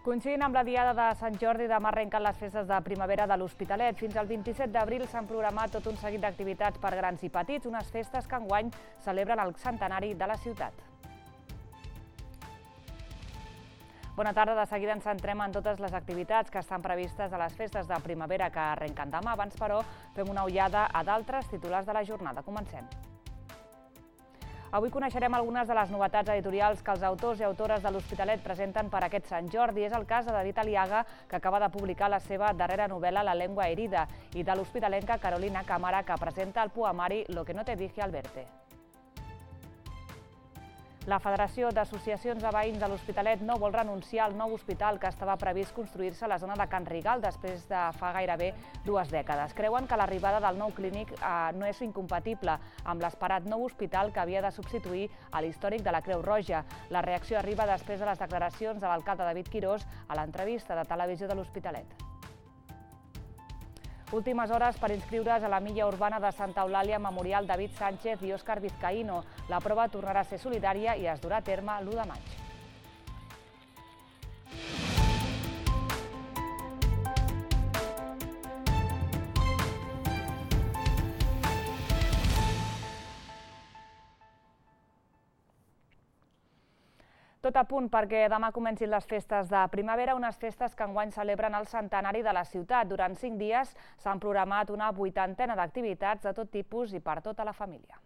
Coincidint amb la diada de Sant Jordi, demà arrenquen les festes de primavera de l'Hospitalet. Fins al 27 d'abril s'han programat tot un seguit d'activitats per grans i petits, unes festes que enguany celebren el centenari de la ciutat. Bona tarda, de seguida ens centrem en totes les activitats que estan previstes a les festes de primavera que arrenquen demà. Abans, però, fem una ullada a d'altres titulars de la jornada. Comencem. Avui coneixerem algunes de les novetats editorials que els autors i autores de l'Hospitalet presenten per aquest Sant Jordi. És el cas de David Aliaga, que acaba de publicar la seva darrera novel·la La lengua herida, i de l'hospitalenca Carolina Cámara, que presenta el poemari Lo que no te dije al verte. La Federació d'Associacions de Veïns de l'Hospitalet no vol renunciar al nou hospital que estava previst construir-se a la zona de Can Rigal després de fa gairebé 2 dècades. Creuen que l'arribada del nou clínic no és incompatible amb l'esperat nou hospital que havia de substituir a l'històric de la Creu Roja. La reacció arriba després de les declaracions de l'alcalde David Quirós a l'entrevista de televisió de l'Hospitalet. Últimes hores per inscriure's a la milla urbana de Santa Eulàlia Memorial David Sánchez i Òscar Vizcaíno. La prova tornarà a ser solidària i es durà a terme l'1 de maig. Tot a punt perquè demà comencin les festes de primavera, unes festes que enguany celebren el centenari de la ciutat. Durant 5 dies s'han programat una 80ena d'activitats de tot tipus i per tota la família.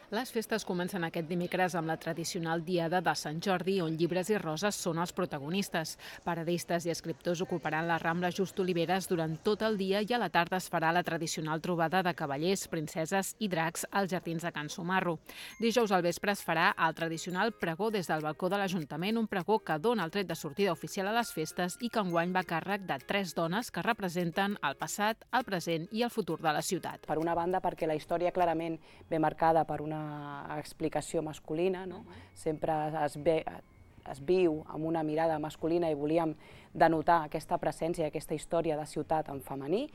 Les festes comencen aquest dimecres amb la tradicional diada de Sant Jordi, on llibres i roses són els protagonistes. Paradistes i escriptors ocuparan la Rambla Just Oliveres durant tot el dia i a la tarda es farà la tradicional trobada de cavallers, princeses i dracs als jardins de Can Sumarro. Dijous al vespre es farà el tradicional pregó des del balcó de l'Ajuntament, un pregó que dona el tret de sortida oficial a les festes i que enguany va a càrrec de 3 dones que representen el passat, el present i el futur de la ciutat. Per una banda, perquè la història clarament ve marcada per una explicació masculina, no? Sempre es viu amb una mirada masculina i volíem denotar aquesta presència i aquesta història de ciutat en femení,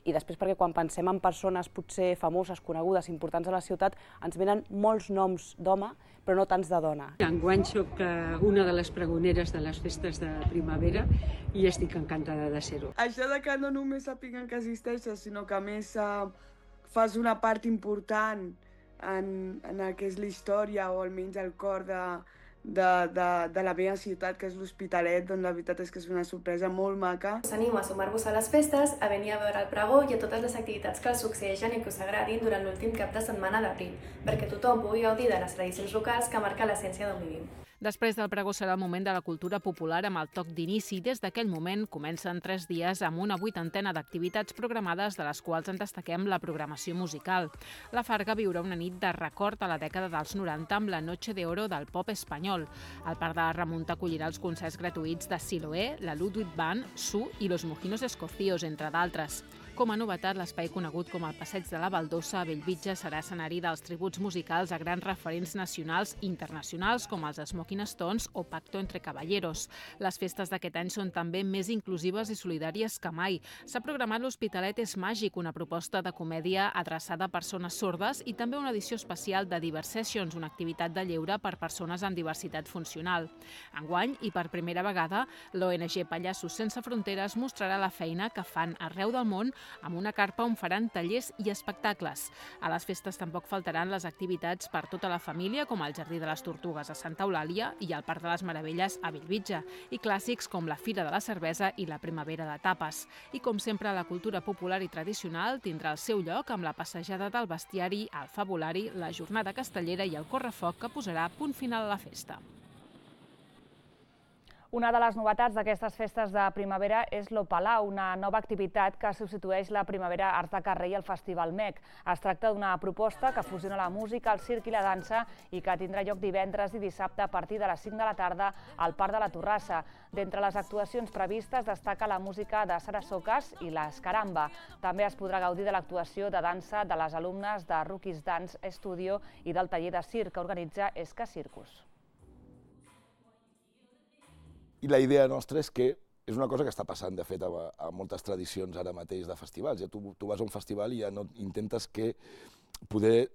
i després perquè quan pensem en persones potser famoses, conegudes, importants a la ciutat, ens venen molts noms d'home, però no tants de dona. Enguany soc una de les pregoneres de les festes de primavera i estic encantada de ser-ho. Això de que no només sàpiguen que existeixes, sinó que a més fas una part important en el que és la història o almenys el cor de la meva ciutat, que és l'Hospitalet, doncs la veritat és que és una sorpresa molt maca. Us animo a sumar-vos a les festes, a venir a veure el pregó i a totes les activitats que els succeeixen i que us agradin durant l'últim cap de setmana d'abril, perquè tothom pugui gaudir de les tradicions locals que marquen l'essència d'on vivim. Després del pregó serà el moment de la cultura popular amb el toc d'inici. Des d'aquell moment comencen 3 dies amb una 80ena d'activitats programades, de les quals en destaquem la programació musical. La Farga viurà una nit de record a la dècada dels 90 amb la Noche de Oro del pop espanyol. El Parc de la Remunta acollirà els concerts gratuïts de Siloé, la Ludwig Band, Su i los Mojinos Escocios, entre d'altres. Com a novetat, l'espai conegut com el Passeig de la Baldosa a Bellvitge serà escenari dels tributs musicals a grans referents nacionals i internacionals com els Smoking Stones o Pacto entre Caballeros. Les festes d'aquest any són també més inclusives i solidàries que mai. S'ha programat l'Hospitalet és màgic, una proposta de comèdia adreçada a persones sordes, i també una edició especial de Diversessions, una activitat de lleure per persones amb diversitat funcional. Enguany, i per primera vegada, l'ONG Pallassos Sense Fronteres mostrarà la feina que fan arreu del món amb una carpa on faran tallers i espectacles. A les festes tampoc faltaran les activitats per tota la família, com el Jardí de les Tortugues a Santa Eulàlia i el Parc de les Meravelles a Bellvitge, i clàssics com la Fira de la Cervesa i la Primavera de Tapes. I com sempre, la cultura popular i tradicional tindrà el seu lloc amb la passejada del bestiari, el fabulari, la jornada castellera i el correfoc que posarà punt final a la festa. Una de les novetats d'aquestes festes de primavera és l'Opalau, una nova activitat que substitueix la Primavera Arts de Carrer i el Festival MEC. Es tracta d'una proposta que fusiona la música, el circ i la dansa i que tindrà lloc divendres i dissabte a partir de les 5 de la tarda al Parc de la Torrassa. D'entre les actuacions previstes destaca la música de Sara Socas i l'Escaramba. També es podrà gaudir de l'actuació de dansa de les alumnes de Rookies Dance Studio i del taller de circ que organitza Esca Circus. I la idea nostra és que és una cosa que està passant, de fet, a moltes tradicions ara mateix de festivals. Tu vas a un festival i ja no intentes poder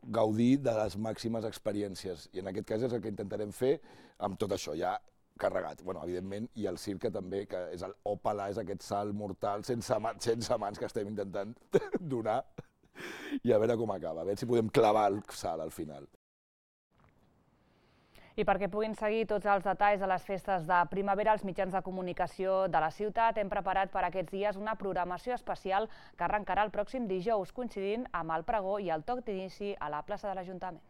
gaudir de les màximes experiències. I en aquest cas és el que intentarem fer amb tot això. Ja carregat. Bueno, evidentment, i el circ també, que és el òpala, és aquest salt mortal sense mans que estem intentant donar, i a veure com acaba, a veure si podem clavar el salt al final. I perquè puguin seguir tots els detalls de les festes de primavera, els mitjans de comunicació de la ciutat hem preparat per aquests dies una programació especial que arrencarà el pròxim dijous, coincidint amb el pregó i el toc d'inici a la plaça de l'Ajuntament.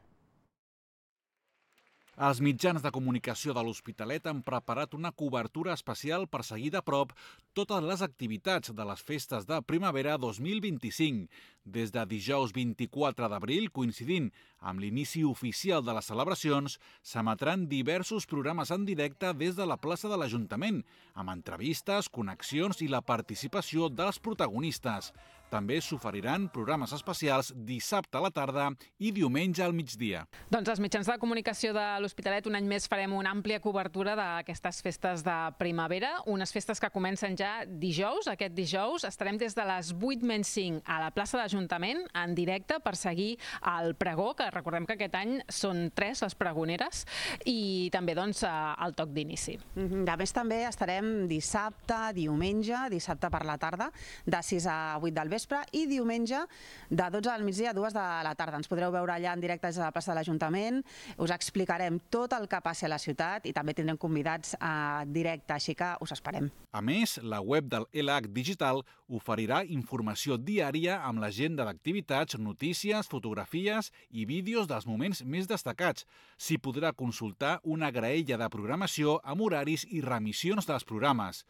Els mitjans de comunicació de l'Hospitalet han preparat una cobertura especial per seguir de prop totes les activitats de les festes de primavera 2025. Des de dijous 24 d'abril, coincidint amb l'inici oficial de les celebracions, s'emetran diversos programes en directe des de la plaça de l'Ajuntament, amb entrevistes, connexions i la participació dels protagonistes. També s'oferiran programes especials dissabte a la tarda i diumenge al migdia. Doncs els mitjans de comunicació de l'Hospitalet un any més farem una àmplia cobertura d'aquestes festes de primavera, unes festes que comencen ja dijous. Aquest dijous estarem des de les 8:05 a la plaça de l'Ajuntament en directe per seguir el pregó, que recordem que aquest any són 3 les pregoneres, i també el toc d'inici. A més, també estarem dissabte, diumenge, dissabte per la tarda, de 6 a 8 del vespre, i diumenge de 12 al migdia a 2 de la tarda. Ens podreu veure allà en directe des de la plaça de l'Ajuntament, us explicarem tot el que passi a la ciutat i també tindrem convidats a directe, així que us esperem. A més, la web del LH Digital oferirà informació diària amb l'agenda d'activitats, notícies, fotografies i vídeos dels moments més destacats. S'hi podrà consultar una graella de programació amb horaris i remissions dels programes.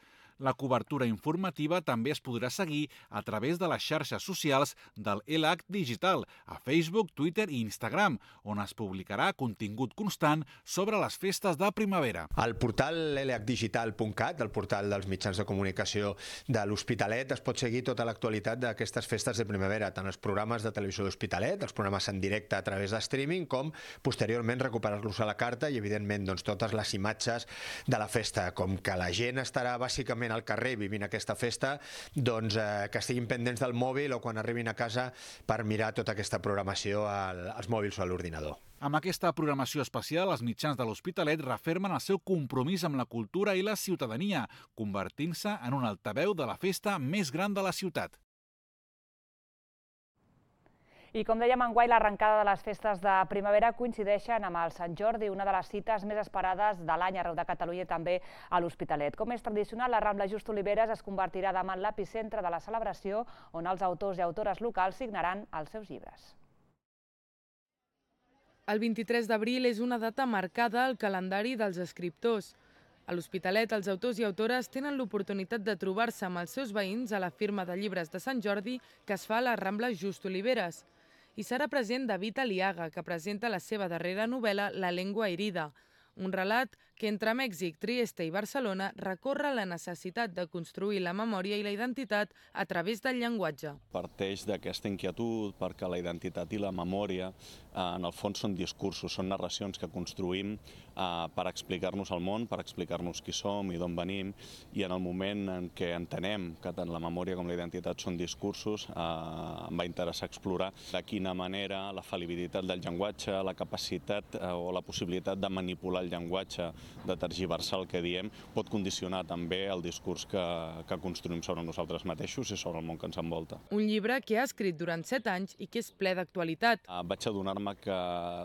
La cobertura informativa també es podrà seguir a través de les xarxes socials del LH Digital, a Facebook, Twitter i Instagram, on es publicarà contingut constant sobre les festes de primavera. Al portal lhdigital.cat, el portal dels mitjans de comunicació de l'Hospitalet, es pot seguir tota l'actualitat d'aquestes festes de primavera, tant els programes de televisió de l'Hospitalet, els programes en directe a través de streaming, com posteriorment recuperar-los a la carta i, evidentment, totes les imatges de la festa. Com que la gent estarà bàsicament al carrer vivint aquesta festa, que estiguin pendents del mòbil o quan arribin a casa per mirar tota aquesta programació als mòbils o a l'ordinador. Amb aquesta programació especial, els mitjans de l'Hospitalet refermen el seu compromís amb la cultura i la ciutadania, convertint-se en un altaveu de la festa més gran de la ciutat. I com dèiem, enguany l'arrencada de les festes de primavera coincideixen amb el Sant Jordi, una de les cites més esperades de l'any arreu de Catalunya i també a l'Hospitalet. Com és tradicional, la Rambla Just Oliveres es convertirà demà en l'epicentre de la celebració, on els autors i autores locals signaran els seus llibres. El 23 d'abril és una data marcada al calendari dels escriptors. A l'Hospitalet, els autors i autores tenen l'oportunitat de trobar-se amb els seus veïns a la firma de llibres de Sant Jordi que es fa a la Rambla Just Oliveres. Hi serà present David Aliaga, que presenta la seva darrera novel·la La Lengua Herida, un relat que entre Mèxic, Trieste i Barcelona recorre la necessitat de construir la memòria i la identitat a través del llenguatge. Parteix d'aquesta inquietud perquè la identitat i la memòria en el fons són discursos, són narracions que construïm per explicar-nos el món, per explicar-nos qui som i d'on venim, i en el moment en què entenem que tant la memòria com la identitat són discursos, em va interessar explorar de quina manera la fal·libilitat del llenguatge, la capacitat o la possibilitat de manipular el llenguatge, de tergiversar el que diem, pot condicionar també el discurs que construïm sobre nosaltres mateixos i sobre el món que ens envolta. Un llibre que ha escrit durant 7 anys i que és ple d'actualitat. Vaig adonar-me que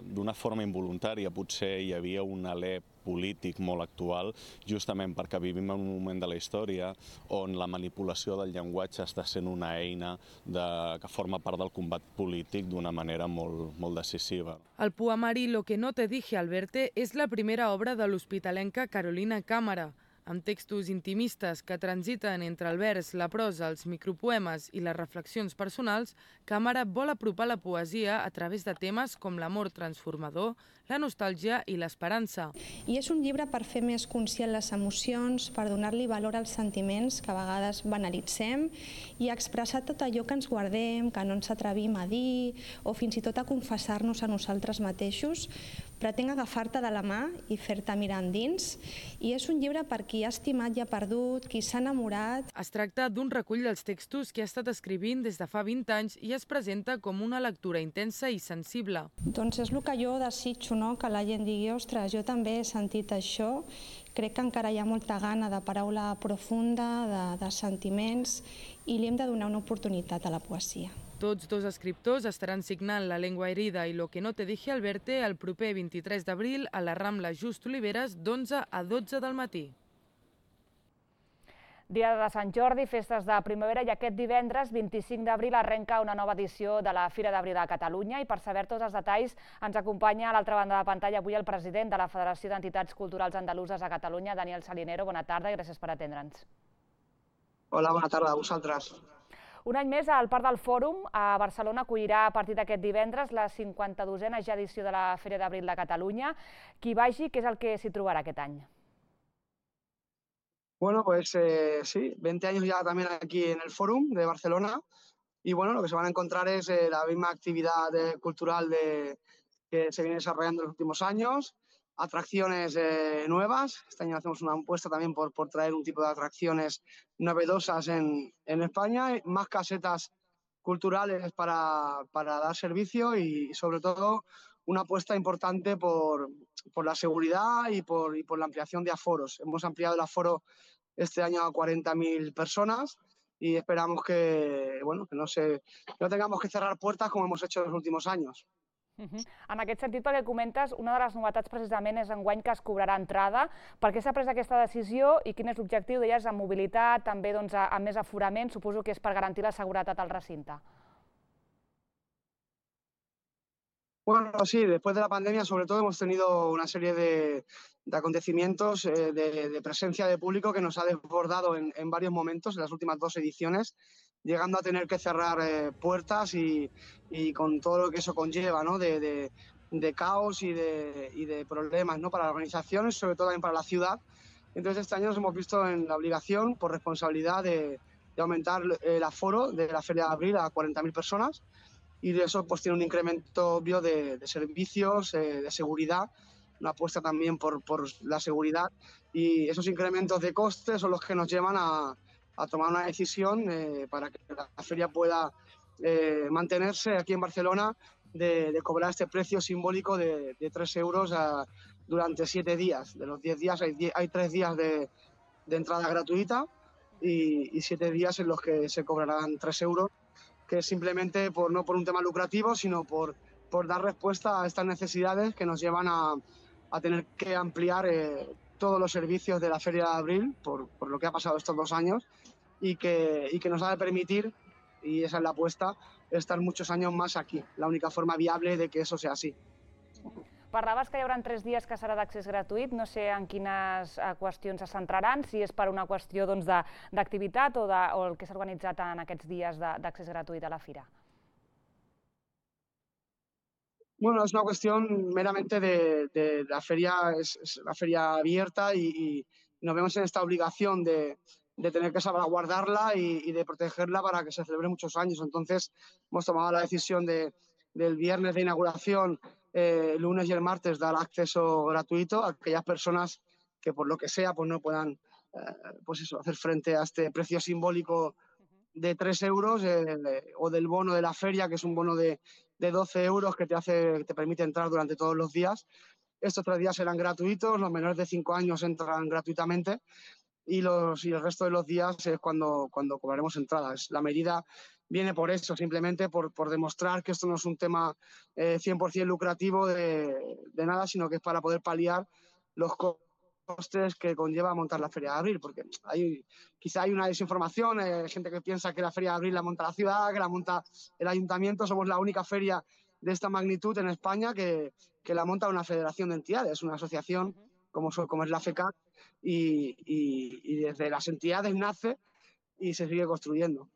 d'una forma involuntària potser hi havia un alè polític molt actual, justament perquè vivim en un moment de la història on la manipulació del llenguatge està sent una eina que forma part del combat polític d'una manera molt decisiva. El poemari Lo que no te dije al verte és la primera obra de l'hospitalenca Carolina Cámara. Amb textos intimistes que transiten entre el vers, la prosa, els micropoemes i les reflexions personals, Cámara vol apropar la poesia a través de temes com l'amor transformador, la nostàlgia i l'esperança. I és un llibre per fer més conscient les emocions, per donar-li valor als sentiments que a vegades banalitzem i expressar tot allò que ens guardem, que no ens atrevim a dir o fins i tot a confessar-nos a nosaltres mateixos, Pretén agafar-te de la mà i fer-te mirar endins, i és un llibre per qui ha estimat i ha perdut, qui s'ha enamorat. Es tracta d'un recull dels textos que ha estat escrivint des de fa 20 anys i es presenta com una lectura intensa i sensible. Doncs és el que jo desitjo, que la gent digui, ostres, jo també he sentit això, crec que encara hi ha molta gana de paraula profunda, de sentiments, i li hem de donar una oportunitat a la poesia. Tots dos escriptors estaran signant La lengua herida i Lo que no te dije al verte el proper 23 d'abril a la Rambla Just Oliveres d'11 a 12 del matí. Dia de Sant Jordi, festes de primavera, i aquest divendres, 25 d'abril, arrenca una nova edició de la Fira d'Abril a Catalunya, i per saber tots els detalls ens acompanya a l'altra banda de la pantalla avui el president de la Federació d'Entitats Culturals Andaluses a Catalunya, Daniel Salinero. Bona tarda i gràcies per atendre'ns. Hola, bona tarda a vosaltres. Un any més, el Parc del Fòrum a Barcelona acollirà a partir d'aquest divendres la 52a ja edició de la Fira d'Abril de Catalunya. Qui vagi, què és el que s'hi trobarà aquest any? Bueno, pues sí, 20 años ya también aquí en el Fórum de Barcelona, y bueno, lo que se van a encontrar es la misma actividad cultural que se viene desarrollando en los últimos años, atracciones nuevas. Este año hacemos una apuesta también por traer un tipo de atracciones novedosas en España, más casetas culturales para dar servicio y sobre todo una apuesta importante por la seguridad y por la ampliación de aforos. Hemos ampliado el aforo este año a 40.000 personas y esperamos que no tengamos que cerrar puertas como hemos hecho en los últimos años. En aquest sentit, pel que comentes, una de les novetats precisament és enguany que es cobrarà entrada. Per què s'ha pres aquesta decisió i quin és l'objectiu? Deies, amb mobilitat, també amb més aforament, suposo que és per garantir la seguretat al recinte. Bueno, sí, después de la pandemia sobre todo hemos tenido una serie de acontecimientos de presencia de público que nos ha desbordado en varios momentos, en las últimas 2 ediciones, llegando a tener que cerrar puertas y con todo lo que eso conlleva, ¿no? de caos y de problemas, ¿no? Para la organización y sobre todo también para la ciudad. Entonces este año nos hemos visto en la obligación, por responsabilidad, de aumentar el aforo de la Feria de Abril a 40.000 personas. Y eso pues tiene un incremento obvio de servicios, de seguridad, una apuesta también por la seguridad, y esos incrementos de costes son los que nos llevan a tomar una decisión para que la feria pueda mantenerse aquí en Barcelona, de cobrar este precio simbólico de 3 euros durante 7 días. De los 10 días hay 3 días de entrada gratuita y 7 días en los que se cobrarán 3 euros, que es simplemente no por un tema lucrativo, sino por dar respuesta a estas necesidades que nos llevan a tener que ampliar todos los servicios de la Feria de Abril por lo que ha pasado estos 2 años y que nos ha de permitir, y esa es la apuesta, estar muchos años más aquí. La única forma viable de que eso sea así. Parlaves que hi haurà 3 dies que serà d'accés gratuït, no sé en quines qüestions se centraran, si és per una qüestió d'activitat o el que s'ha organitzat en aquests dies d'accés gratuït a la fira. Bueno, es una cuestión meramente de la feria, es la feria abierta y nos vemos en esta obligación de tener que salvaguardarla y de protegerla para que se celebre muchos años. Entonces hemos tomado la decisión del viernes de inauguración, el lunes y el martes, dar acceso gratuito a aquellas personas que por lo que sea pues no puedan hacer frente a este precio simbólico de 3 euros o del bono de la feria, que es un bono de 12 euros que te permite entrar durante todos los días. Estos 3 días serán gratuitos, los menores de 5 años entran gratuitamente y el resto de los días es cuando cobraremos entradas. La medida viene por eso, simplemente por demostrar que esto no es un tema 100% lucrativo de nada, sino que es para poder paliar los costes que conlleva montar la Feria de Abril, porque quizá hay una desinformación, hay gente que piensa que la Feria de Abril la monta la ciudad, que la monta el ayuntamiento. Somos la única feria de esta magnitud en España que la monta una federación de entidades, una asociación como es la FECAC, y desde las entidades nace y se sigue construyendo.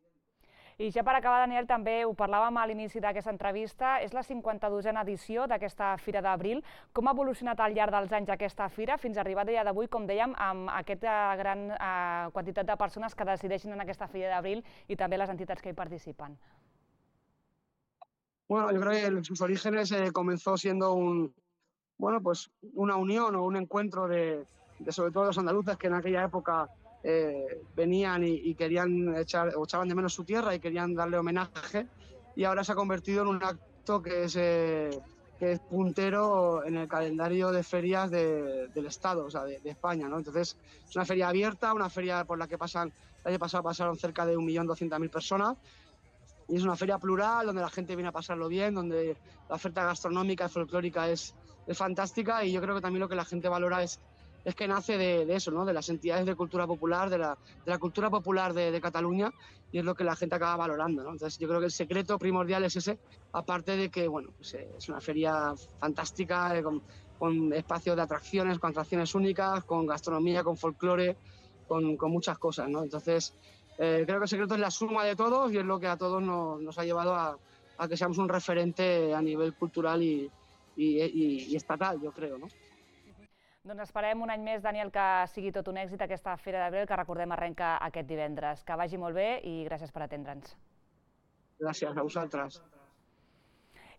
I ja per acabar, Daniel, també ho parlàvem a l'inici d'aquesta entrevista, és la 52a edició d'aquesta Fira d'Abril. Com ha evolucionat al llarg dels anys aquesta fira fins a arribar a dia d'avui, com dèiem, amb aquesta gran quantitat de persones que decideixen en aquesta Fira d'Abril i també les entitats que hi participen? Bueno, yo creo que en sus orígenes comenzó siendo bueno, pues una unión o un encuentro de sobre todo los andaluces que en aquella época venían y querían echaban de menos su tierra y querían darle homenaje, y ahora se ha convertido en un acto que es puntero en el calendario de ferias del Estado, o sea, de España, ¿no? Entonces, es una feria abierta, una feria por la que el año pasado pasaron cerca de 1.200.000 personas, y es una feria plural donde la gente viene a pasarlo bien, donde la oferta gastronómica y folclórica es fantástica, y yo creo que también lo que la gente valora es que nace de eso, ¿no? De las entidades de cultura popular, de la cultura popular de Cataluña, y es lo que la gente acaba valorando, ¿no? Entonces yo creo que el secreto primordial es ese, aparte de que, bueno, pues, es una feria fantástica, con espacios de atracciones, con atracciones únicas, con gastronomía, con folclore, con muchas cosas, ¿no? Entonces creo que el secreto es la suma de todos, y es lo que a todos nos ha llevado a que seamos un referente a nivel cultural i estatal, jo crec, no? Doncs esperem un any més, Daniel, que sigui tot un èxit aquesta Fira d'Abril, que recordem arrenca aquest divendres. Que vagi molt bé i gràcies per atendre'ns. Gràcies a vosaltres.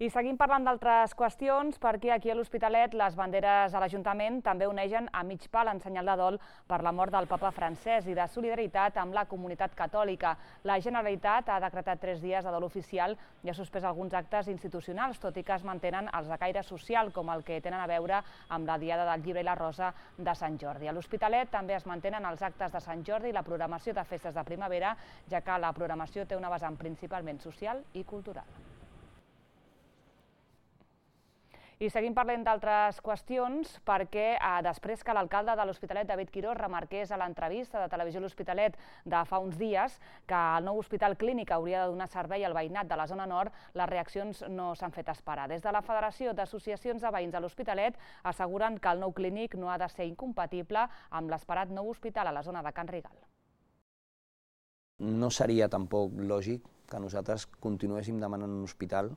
I seguim parlant d'altres qüestions, perquè aquí a l'Hospitalet les banderes a l'Ajuntament també onegen a mig pal en senyal de dol per la mort del papa francès i de solidaritat amb la comunitat catòlica. La Generalitat ha decretat 3 dies de dol oficial i ha suspès alguns actes institucionals, tot i que es mantenen els de caire social, com el que tenen a veure amb la Diada del Llibre i la Rosa de Sant Jordi. A l'Hospitalet també es mantenen els actes de Sant Jordi i la programació de festes de primavera, ja que la programació té una vessant principalment social i cultural. I seguim parlant d'altres qüestions, perquè després que l'alcalde de l'Hospitalet, David Quirós, remarqués a l'entrevista de Televisió L'Hospitalet de fa uns dies que el nou hospital clínic hauria de donar servei al veïnat de la zona nord, les reaccions no s'han fet esperar. Des de la Federació d'Associacions de Veïns de l'Hospitalet asseguren que el nou clínic no ha de ser incompatible amb l'esperat nou hospital a la zona de Can Rigal. No seria tampoc lògic que nosaltres continuéssim demanant un hospital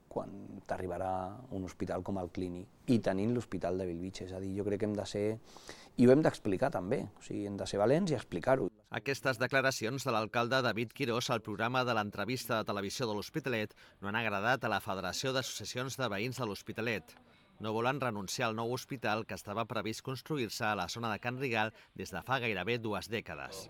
quan t'arribarà un hospital com el clínic i tenint l'hospital de Bellvitge. És a dir, jo crec que hem de ser, i ho hem d'explicar també, o sigui, hem de ser valents i explicar-ho. Aquestes declaracions de l'alcalde David Quirós al programa de l'entrevista de televisió de l'Hospitalet no han agradat a la Federació d'Associacions de Veïns de l'Hospitalet. No volen renunciar al nou hospital que estava previst construir-se a la zona de Can Rigal des de fa gairebé 2 dècades.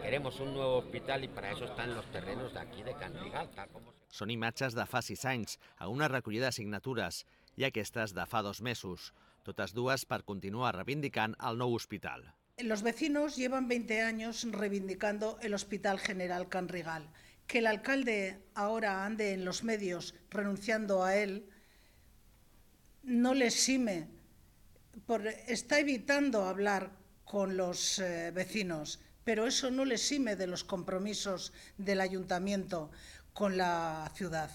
Queremos un nuevo hospital y para eso están los terrenos de aquí de Can Rigal, tal como... Són imatges de fa 6 anys, a una recollida de signatures, i aquestes de fa 2 mesos, totes dues per continuar reivindicant el nou hospital. Los vecinos llevan 20 años reivindicando el Hospital General Can Rigal. Que el alcalde ahora ande en los medios renunciando a él no le exime, está evitando hablar con los vecinos, pero eso no le exime de los compromisos del ayuntamiento con la ciudad.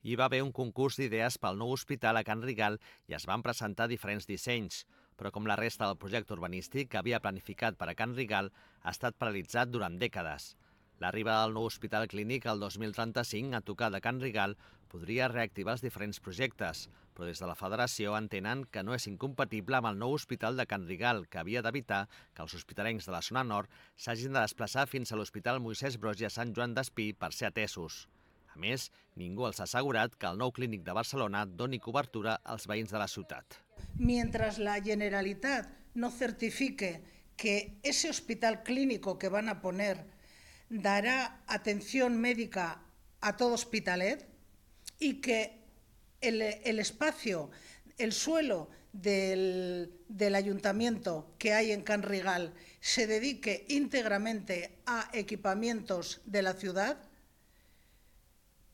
Hi va haver un concurs d'idees pel nou hospital a Can Rigal i es van presentar diferents dissenys, però com la resta del projecte urbanístic que havia planificat per a Can Rigal ha estat paralitzat durant dècades. L'arribada del nou hospital clínic el 2035 a tocar de Can Rigal podria reactivar els diferents projectes, però des de la Federació entenen que no és incompatible amb el nou hospital de Can Rigal, que havia d'evitar que els hospitalencs de la zona nord s'hagin de desplaçar fins a l'Hospital Moisès Broggi a Sant Joan d'Espí per ser atesos. A més, ningú els ha assegurat que el nou clínic de Barcelona doni cobertura als veïns de la ciutat. Mientras la Generalitat no certifique que ese hospital clínico que van a poner dará atención médica a todo Hospitalet y que el espacio, el suelo del ayuntamiento que hay en Can Rigal se dedique íntegramente a equipamientos de la ciudad,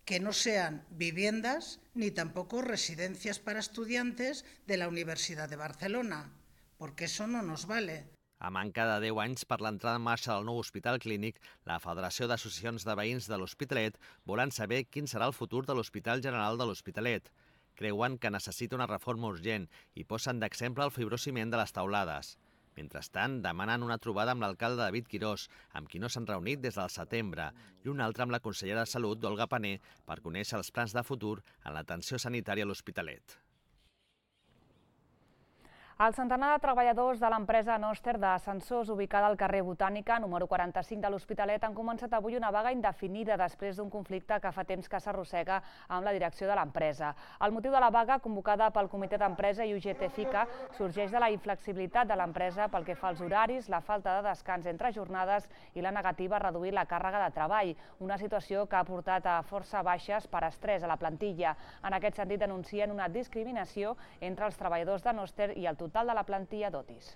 que no sean viviendas ni tampoco residencias para estudiantes de la Universidad de Barcelona, porque eso no nos vale. A manca de 10 anys per l'entrada en marxa del nou hospital clínic, la Federació d'Associacions de Veïns de l'Hospitalet volen saber quin serà el futur de l'Hospital General de l'Hospitalet. Creuen que necessita una reforma urgent i posen d'exemple el fibrociment de les teulades. Mentrestant, demanen una trobada amb l'alcalde David Quirós, amb qui no s'han reunit des del setembre, i una altra amb la consellera de Salut, Olga Pané, per conèixer els plans de futur en l'atenció sanitària a l'Hospitalet. El centenar de treballadors de l'empresa Noster d'ascensors ubicada al carrer Botànica, número 45 de l'Hospitalet, han començat avui una vaga indefinida després d'un conflicte que fa temps que s'arrossega amb la direcció de l'empresa. El motiu de la vaga, convocada pel comitè d'empresa i UGT-FICA, sorgeix de la inflexibilitat de l'empresa pel que fa als horaris, la falta de descans entre jornades i la negativa a reduir la càrrega de treball, una situació que ha portat a força baixes per estrès a la plantilla. En aquest sentit, denuncien una discriminació entre els treballadors de Noster i el total de la plantilla d'Otis.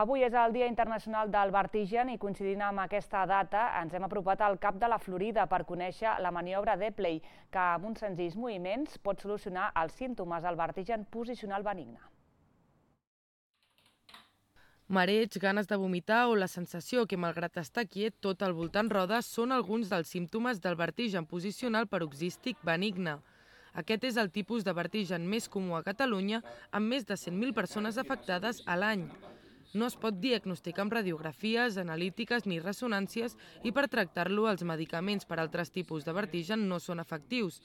Avui és el Dia Internacional del Vertigen i coincidint amb aquesta data ens hem apropat al Cap de la Florida per conèixer la maniobra d'Epley, que amb uns senzills moviments pot solucionar els símptomes del vertigen posicional benigne. Mareig, ganes de vomitar o la sensació que, malgrat estar quiet tot al voltant roda, són alguns dels símptomes del vertigen posicional paroxístic benigne. Aquest és el tipus de vertigen més comú a Catalunya, amb més de 100.000 persones afectades a l'any. No es pot diagnosticar amb radiografies, analítiques ni ressonàncies i per tractar-lo els medicaments per a altres tipus de vertigen no són efectius.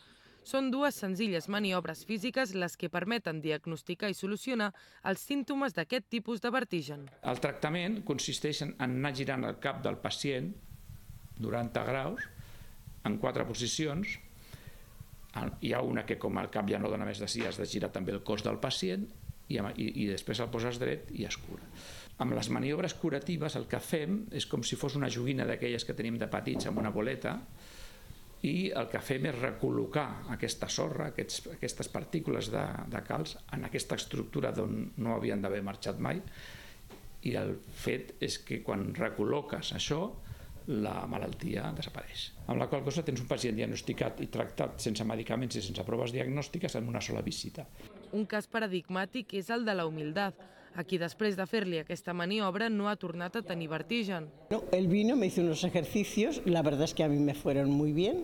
Són dues senzilles maniobres físiques les que permeten diagnosticar i solucionar els símptomes d'aquest tipus de vertigen. El tractament consisteix en anar girant el cap del pacient 90 graus en 4 posicions. Hi ha una que, com el cap ja no dona més de si, has de girar també el cos del pacient i després el poses dret i es cura. Amb les maniobres curatives el que fem és com si fos una joguina d'aquelles que tenim de petits amb una boleta i el que fem és recol·locar aquesta sorra, aquestes partícules de calç en aquesta estructura d'on no havien d'haver marxat mai i el fet és que quan recol·loques això la malaltia desapareix. Amb la qual cosa tens un pacient diagnosticat i tractat sense medicaments i sense proves diagnòstiques en una sola visita. Un cas paradigmàtic és el de la humildad, a qui després de fer-li aquesta maniobra no ha tornat a tenir vertigen. Él vino, me hizo unos ejercicios, la verdad es que a mí me fueron muy bien.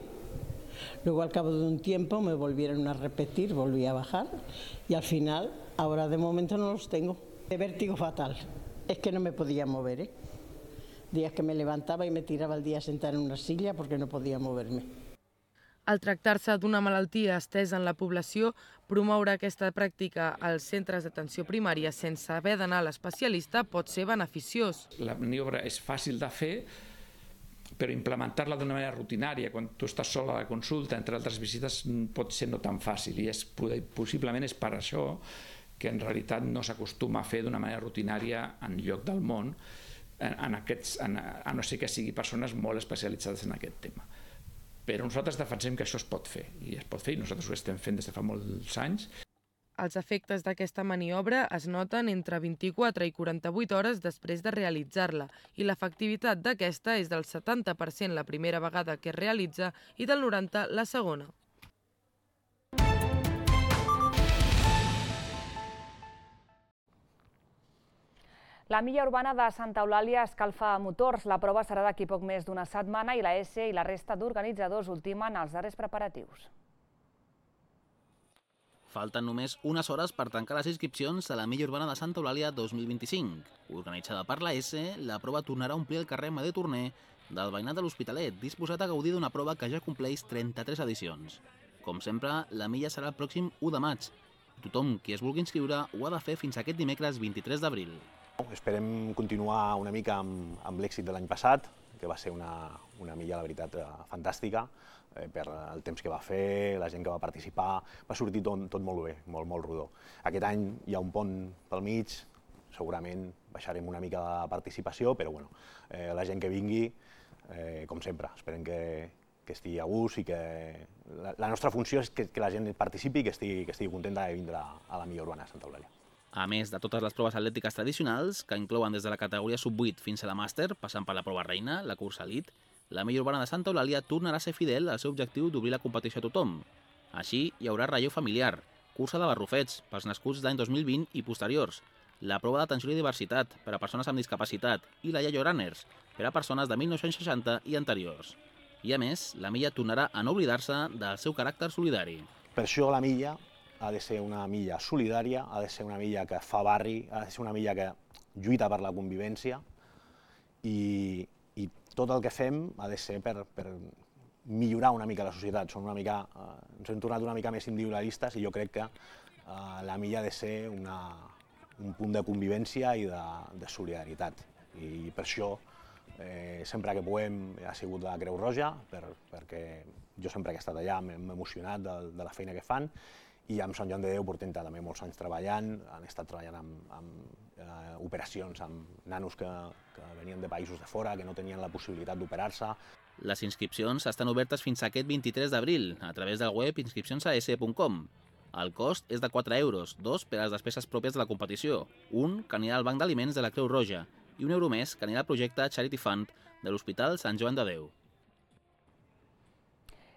Luego al cabo de un tiempo me volvieron a repetir, volví a bajar y al final, ahora de momento no los tengo. De vértigo fatal, es que no me podía mover, Días que me levantaba y me tiraba el día a sentar en una silla porque no podía moverme. Al tractar-se d'una malaltia estesa en la població, promoure aquesta pràctica als centres d'atenció primària sense haver d'anar a l'especialista pot ser beneficiós. La maniobra és fàcil de fer, però implementar-la d'una manera rutinària, quan tu estàs sola a la consulta, entre altres visites, pot ser no tan fàcil. I possiblement és per això que en realitat no s'acostuma a fer d'una manera rutinària en lloc del món, a no ser que sigui persones molt especialitzades en aquest tema. Però nosaltres defensem que això es pot fer, i nosaltres ho estem fent des de fa molts anys. Els efectes d'aquesta maniobra es noten entre 24 i 48 hores després de realitzar-la i l'efectivitat d'aquesta és del 70% la primera vegada que es realitza i del 90% la segona. La milla urbana de Santa Eulàlia escalfa motors. La prova serà d'aquí poc més d'una setmana i la ESE i la resta d'organitzadors ultimen els darrers preparatius. Falten només unes hores per tancar les inscripcions a la milla urbana de Santa Eulàlia 2025. Organitzada per la ESE, la prova tornarà a omplir el carrer Amadeu Torner del veïnat de l'Hospitalet, disposat a gaudir d'una prova que ja compleix 33 edicions. Com sempre, la milla serà el pròxim 1 de maig. Tothom qui es vulgui inscriure ho ha de fer fins aquest dimecres 23 d'abril. Esperem continuar una mica amb l'èxit de l'any passat, que va ser una milla, la veritat, fantàstica, per el temps que va fer, la gent que va participar, va sortir tot molt bé, molt rodó. Aquest any hi ha un pont pel mig, segurament baixarem una mica la participació, però bueno, la gent que vingui, com sempre, esperem que estigui a gust i que la nostra funció és que la gent participi i que estigui contenta de vindre a la milla urbana de Santa Eulàlia. A més de totes les proves atlètiques tradicionals, que inclouen des de la categoria sub-8 fins a la màster, passant per la prova reina, la cursa elit, la milla urbana de Santa Eulàlia tornarà a ser fidel al seu objectiu d'obrir la competició a tothom. Així, hi haurà relleu familiar, cursa de barrufets pels nascuts d'any 2020 i posteriors, la prova d'atenció i diversitat per a persones amb discapacitat i la Yayo Runners per a persones de 1960 i anteriors. I a més, la milla tornarà a no oblidar-se del seu caràcter solidari. Per això la milla ha de ser una milla solidària, ha de ser una milla que fa barri, ha de ser una milla que lluita per la convivència i tot el que fem ha de ser per millorar una mica la societat. Ens hem tornat una mica més individualistes i jo crec que la milla ha de ser un punt de convivència i de solidaritat. I per això, sempre que puguem, ha sigut la Creu Roja, perquè jo sempre que he estat allà m'he emocionat de la feina que fan, i amb Sant Joan de Déu portem també molts anys treballant, han estat treballant amb operacions amb nanos que venien de països de fora, que no tenien la possibilitat d'operar-se. Les inscripcions estan obertes fins aquest 23 d'abril a través del web inscripcionsaes.com. El cost és de 4 euros, 2 per a les despeses pròpies de la competició, un que anirà al Banc d'Aliments de la Creu Roja i €1 més que anirà al projecte Charity Fund de l'Hospital Sant Joan de Déu.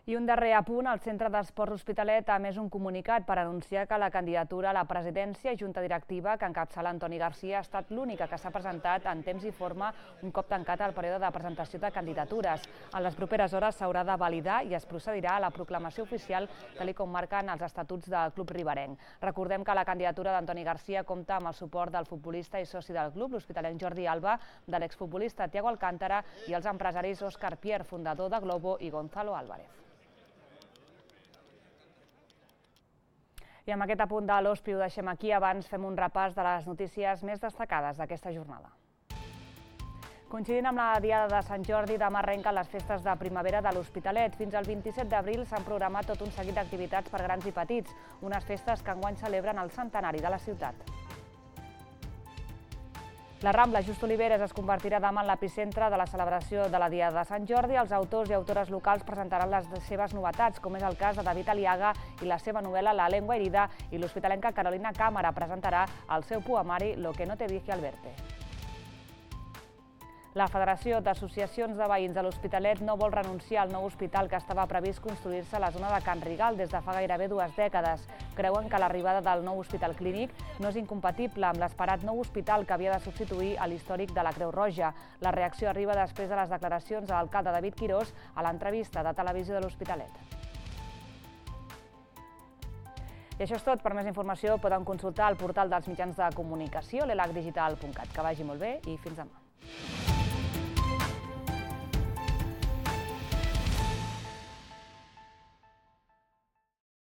I un darrer apunt, el Centre d'Esports Hospitalet ha emès un comunicat per anunciar que la candidatura a la presidència i junta directiva que encapçala Antoni Garcia ha estat l'única que s'ha presentat en temps i forma un cop tancat el període de presentació de candidatures. En les properes hores s'haurà de validar i es procedirà a la proclamació oficial tal com marquen els estatuts del club riberenc. Recordem que la candidatura d'Antoni Garcia compta amb el suport del futbolista i soci del club, l'hospitalenc Jordi Alba, de l'exfutbolista Thiago Alcántara i els empresaris Òscar Pierre, fundador de Globo, i Gonzalo Álvarez. I amb aquest apunt de l'OSPI ho deixem aquí. Abans fem un repàs de les notícies més destacades d'aquesta jornada. Coincidint amb la Diada de Sant Jordi, demà arrenquen les festes de primavera de l'Hospitalet. Fins al 27 d'abril s'han programat tot un seguit d'activitats per grans i petits, unes festes que enguany celebren el centenari de la ciutat. La Rambla Just Oliveres es convertirà demà en l'epicentre de la celebració de la Diada de Sant Jordi. Els autors i autores locals presentaran les seves novetats, com és el cas de David Aliaga i la seva novel·la La lengua herida, i l'hospitalenca Carolina Cámara presentarà el seu poemari Lo que no te dije al verte. La Federació d'Associacions de Veïns de l'Hospitalet no vol renunciar al nou hospital que estava previst construir-se a la zona de Can Rigal des de fa gairebé 2 dècades. Creuen que l'arribada del nou hospital clínic no és incompatible amb l'esperat nou hospital que havia de substituir a l'històric de la Creu Roja. La reacció arriba després de les declaracions de l'alcalde David Quirós a l'entrevista de Televisió de l'Hospitalet. I això és tot. Per més informació poden consultar el portal dels mitjans de comunicació, l'elacdigital.cat. Que vagi molt bé i fins demà.